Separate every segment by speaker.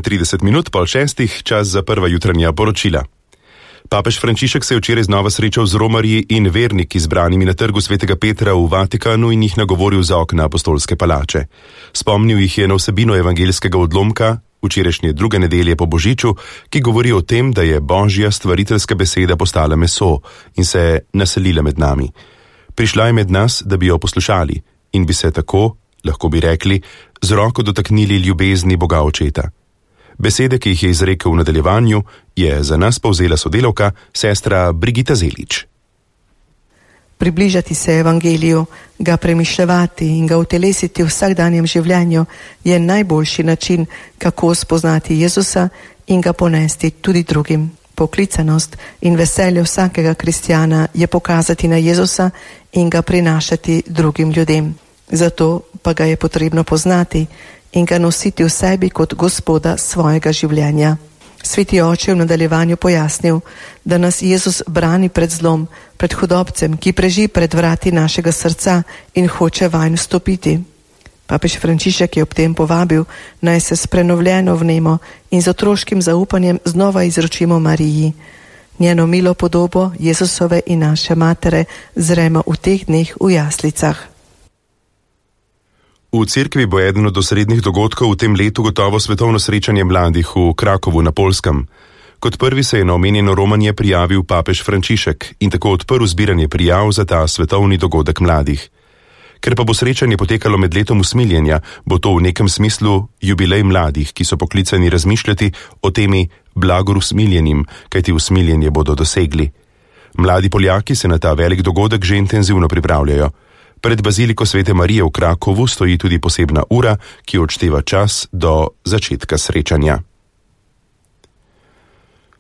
Speaker 1: 30 minut pol 6, čas za prva jutranja poročila. Papež Frančišek se je včeraj znova srečal z romarji in verniki zbranimi na trgu Svetega Petra v Vatikanu in jih nagovoril za okna apostolske palače. Spomnil jih je na vsebino evangeljskega odlomka, včerajšnje druge nedelje po Božiču, ki govori o tem, da je Božja stvariteljska beseda postala meso in se naselila med nami. Prišla je med nas, da bi jo poslušali in bi se tako, lahko bi rekli, z roko dotaknili ljubezni Boga Očeta. Besede, ki jih je izrekel v nadaljevanju, je za nas povzela sodelavka, sestra Brigita Zelič.
Speaker 2: Približati se evangeliju, ga premišljevati in ga utelesiti v vsakdanjem življenju je najboljši način, kako spoznati Jezusa in ga ponesti tudi drugim. Poklicanost in veselje vsakega kristjana je pokazati na Jezusa in ga prinašati drugim ljudem. Zato pa ga je potrebno poznati in ga nositi v sebi kot Gospoda svojega življenja. Sveti oče je v nadaljevanju pojasnil, da nas Jezus brani pred zlom, pred hudobcem, ki preži pred vrati našega srca in hoče vanj vstopiti. Papež Frančišek je ob tem povabil, naj se s prenovljeno vnemo in z otroškim zaupanjem znova izročimo Mariji. Njeno milo podobo Jezusove in naše matere zremo v teh dneh v jaslicah.
Speaker 1: V cerkvi bo eden od osrednjih dogodkov v tem letu gotovo svetovno srečanje mladih v Krakovu na Poljskem. Kot prvi se je na omenjeno romanje prijavil papež Frančišek in tako odprl zbiranje prijav za ta svetovni dogodek mladih. Ker pa bo srečanje potekalo med letom usmiljenja, bo to v nekem smislu jubilej mladih, ki so poklicani razmišljati o temi blagor usmiljenim, kajti usmiljenje bodo dosegli. Mladi Poljaki se na ta velik dogodek že intenzivno pripravljajo. Pred baziliko Svete Marije v Krakovu stoji tudi posebna ura, ki odšteva čas do začetka srečanja.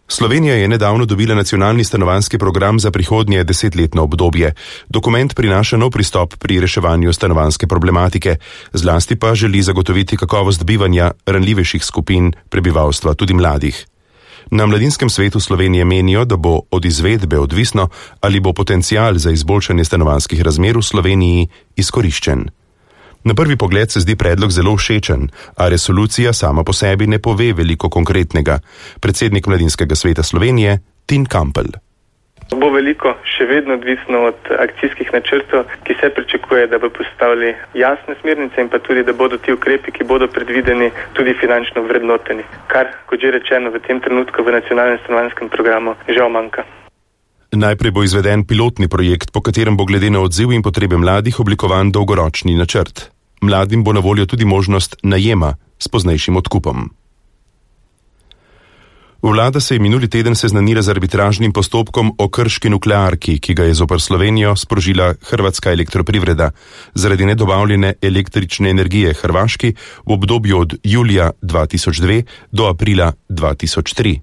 Speaker 1: Slovenija je nedavno dobila nacionalni stanovanjski program za prihodnje 10-letno obdobje. Dokument prinaša nov pristop pri reševanju stanovanjske problematike, zlasti pa želi zagotoviti kakovost bivanja ranljivejših skupin prebivalstva, tudi mladih. Na Mladinskem svetu Slovenije menijo, da bo od izvedbe odvisno, ali bo potencial za izboljšanje stanovanjskih razmer v Sloveniji izkoriščen. Na prvi pogled se zdi predlog zelo všečen, a resolucija sama po sebi ne pove veliko konkretnega. Predsednik Mladinskega sveta Slovenije, Tin Kampel.
Speaker 3: Bo veliko še vedno odvisno od akcijskih načrtov, ki se pričakuje, da bo postavili jasne smernice in pa tudi, da bodo ti ukrepi, ki bodo predvideni, tudi finančno vrednoteni. Kar, kot že rečeno, v tem trenutku v nacionalnem stanovanjskem programu žal manjka.
Speaker 1: Najprej bo izveden pilotni projekt, po katerem bo glede na odziv in potrebe mladih oblikovan dolgoročni načrt. Mladim bo na voljo tudi možnost najema s poznejšim odkupom. Vlada se je minuli teden seznanila z arbitražnim postopkom o krški nuklearki, ki ga je zoper Slovenijo sprožila Hrvatska elektroprivreda zaradi nedobavljene električne energije Hrvaški v obdobju od julija 2002 do aprila 2003.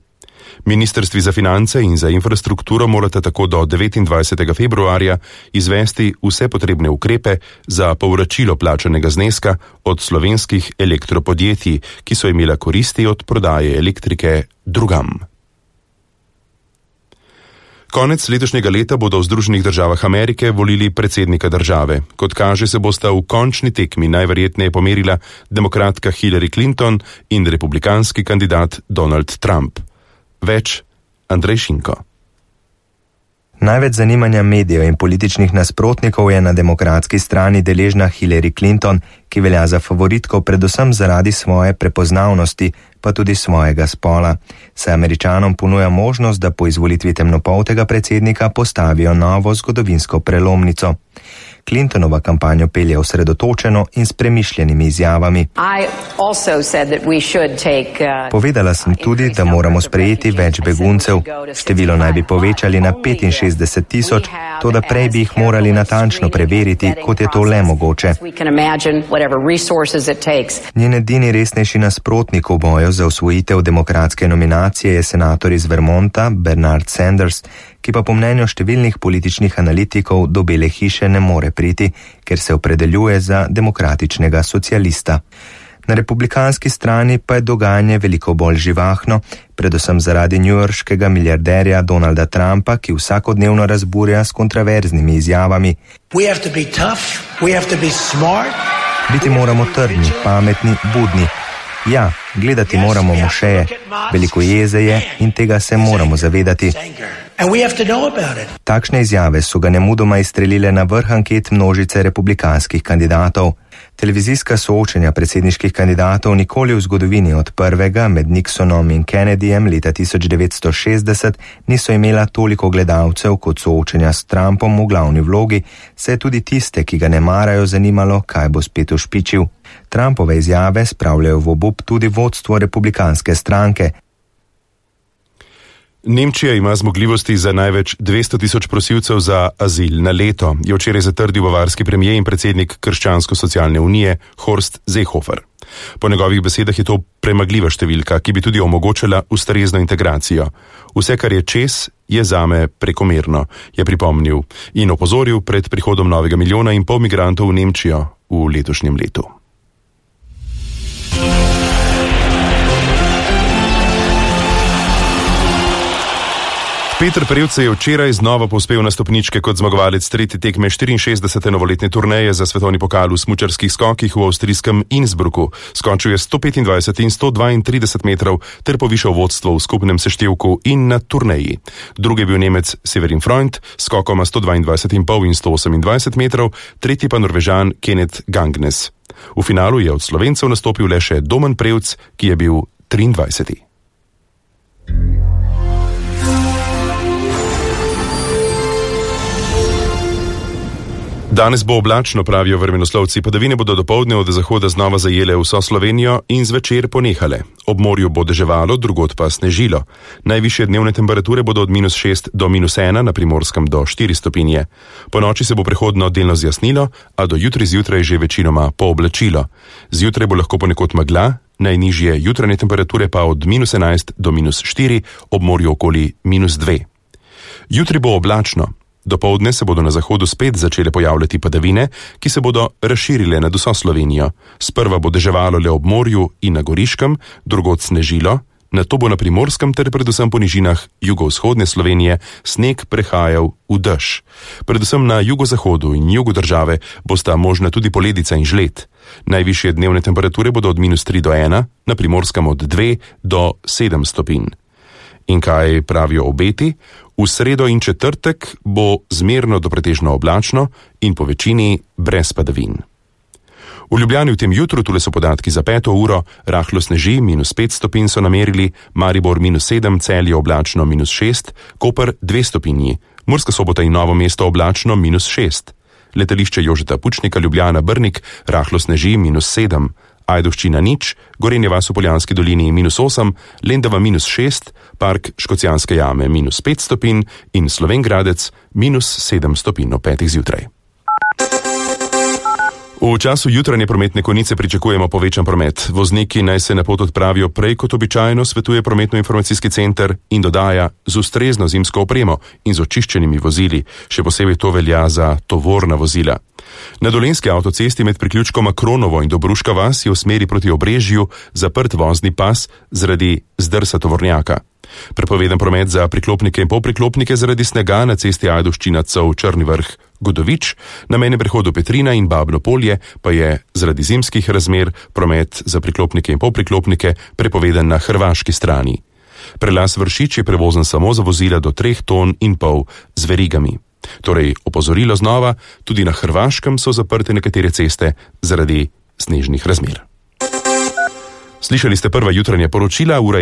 Speaker 1: Ministrstvi za finance in za infrastrukturo morata tako do 29. februarja izvesti vse potrebne ukrepe za povračilo plačanega zneska od slovenskih elektropodjetij, ki so imela koristi od prodaje elektrike drugam. Konec letošnjega leta bodo v Združenih državah Amerike volili predsednika države. Kot kaže, se bosta v končni tekmi najverjetneje pomerila demokratka Hillary Clinton in republikanski kandidat Donald Trump. Več Andrej Šinko.
Speaker 4: Največ zanimanja medijev in političnih nasprotnikov je na demokratski strani deležna Hillary Clinton, ki velja za favoritko predvsem zaradi svoje prepoznavnosti, pa tudi svojega spola. Se Američanom ponuja možnost, da po izvolitvi temnopoltega predsednika postavijo novo zgodovinsko prelomnico. Clintonova kampanjo pelje osredotočeno in s premišljenimi izjavami. Povedala sem tudi, da moramo sprejeti več beguncev. Število naj bi povečali na 65,000, toda prej bi jih morali natančno preveriti, kot je to le mogoče. Njen edini resnejši nasprotnik v boju za osvojitev demokratske nominacije je senator iz Vermonta Bernard Sanders, ki pa po mnenju številnih političnih analitikov do Bele hiše ne more priti, ker se opredeljuje za demokratičnega socialista. Na republikanski strani pa je dogajanje veliko bolj živahno, predvsem zaradi newyorškega milijarderja Donalda Trumpa, ki vsakodnevno razburja s kontroverznimi izjavami. Biti moramo trdni, pametni, budni. Ja, gledati moramo mošeje, veliko jeze je in tega se moramo zavedati. Takšne izjave so ga nemudoma izstrelile na vrh anket množice republikanskih kandidatov. Televizijska soočenja predsedniških kandidatov nikoli v zgodovini od prvega med Nixonom in Kennedyjem leta 1960 niso imela toliko gledalcev kot soočenja s Trumpom v glavni vlogi, saj je tudi tiste, ki ga ne marajo, zanimalo, kaj bo spet ušpičil. Trumpove izjave spravljajo v obup tudi vodstvo republikanske stranke.
Speaker 1: Nemčija ima zmogljivosti za največ 200.000 prosilcev za azil na leto, je včeraj zatrdil bavarski premijer in predsednik Krščansko-socialne unije Horst Seehofer. Po njegovih besedah je to premagljiva številka, ki bi tudi omogočala ustrezno integracijo. Vse, kar je čez, je zame prekomerno, je pripomnil in opozoril pred prihodom novega 1,5 milijona migrantov v Nemčijo v letošnjem letu. Peter Prevc je včeraj znova povzpel na stopničke kot zmagovalec tretje tekme 64. novoletne turneje za svetovni pokal v smučarskih skokih v avstrijskem Innsbrucku. Skočil je 125 in 132 metrov ter povišal vodstvo v skupnem seštevku in na turneji. Drugi je bil Nemec Severin Freund s skokoma 122,5 in 128 metrov, tretji pa Norvežan Kenneth Gangnes. V finalu je od Slovencev nastopil le še Domen Prevc, ki je bil 23. Danes bo oblačno, pravijo vremenoslovci, padavine bodo dopoldne od zahoda znova zajele vso Slovenijo in zvečer ponehale. Ob morju bo deževalo, drugod pa snežilo. Najvišje dnevne temperature bodo od -6 do -1, na Primorskem do 4 stopinje. Po noči se bo prehodno delno zjasnilo, a do jutri zjutraj že večinoma pooblačilo. Zjutraj bo lahko ponekod megla, najnižje jutranje temperature pa od -11 do -4, ob morju okoli -2. Jutri bo oblačno. Dopoldne se bodo na zahodu spet začele pojavljati padavine, ki se bodo razširile nad vso Slovenijo. Sprva bo deževalo le ob morju in na Goriškem, drugod snežilo, nato bo na Primorskem ter predvsem po nižinah jugovzhodne Slovenije sneg prehajal v dež. Predvsem na jugozahodu in jugu države bosta možna tudi poledica in žled. Najvišje dnevne temperature bodo od -3 do 1, na Primorskem od 2 do 7 stopinj. In kaj pravijo obeti? V sredo in četrtek bo zmerno do pretežno oblačno in po večini brez padavin. V Ljubljani v tem jutru, tule so podatki za 5. uro, rahlo sneži, -5 stopinj so namerili, Maribor -7, Celje oblačno -6, Koper 2 stopinji, Murska Sobota in Novo mesto oblačno -6. Letališče Jožeta Pučnika Ljubljana Brnik rahlo sneži -7, Ajdovščina 0, Gorenje vas v Poljanski dolini -8, Lendava -6, Park Škocjanske jame -5 stopinj in Slovenj Gradec -7 stopinj ob 5. zjutraj. V času jutranje prometne konice pričakujemo povečan promet. Vozniki naj se na pot odpravijo prej kot običajno, svetuje prometno-informacijski center in dodaja z ustrezno zimsko opremo in z očiščenimi vozili. Še posebej to velja za tovorna vozila. Na Dolenjski avtocesti med priključkoma Kronovo in Dobruška vas je v smeri proti Obrežju zaprt vozni pas zaradi zdrsa tovornjaka. Prepovedan promet za priklopnike in polpriklopnike zaradi snega na cesti Ajdovščina Cov Črni Vrh Godovič, na mejnem prehodu Petrina in Babno Polje pa je zaradi zimskih razmer promet za priklopnike in polpriklopnike prepovedan na hrvaški strani. Prelaz Vršič je prevozen samo za vozila do 3,5 ton z verigami. Torej, opozorilo znova, tudi na Hrvaškem so zaprte nekatere ceste zaradi snežnih razmer. Slišali ste prva jutranja poročila, ura je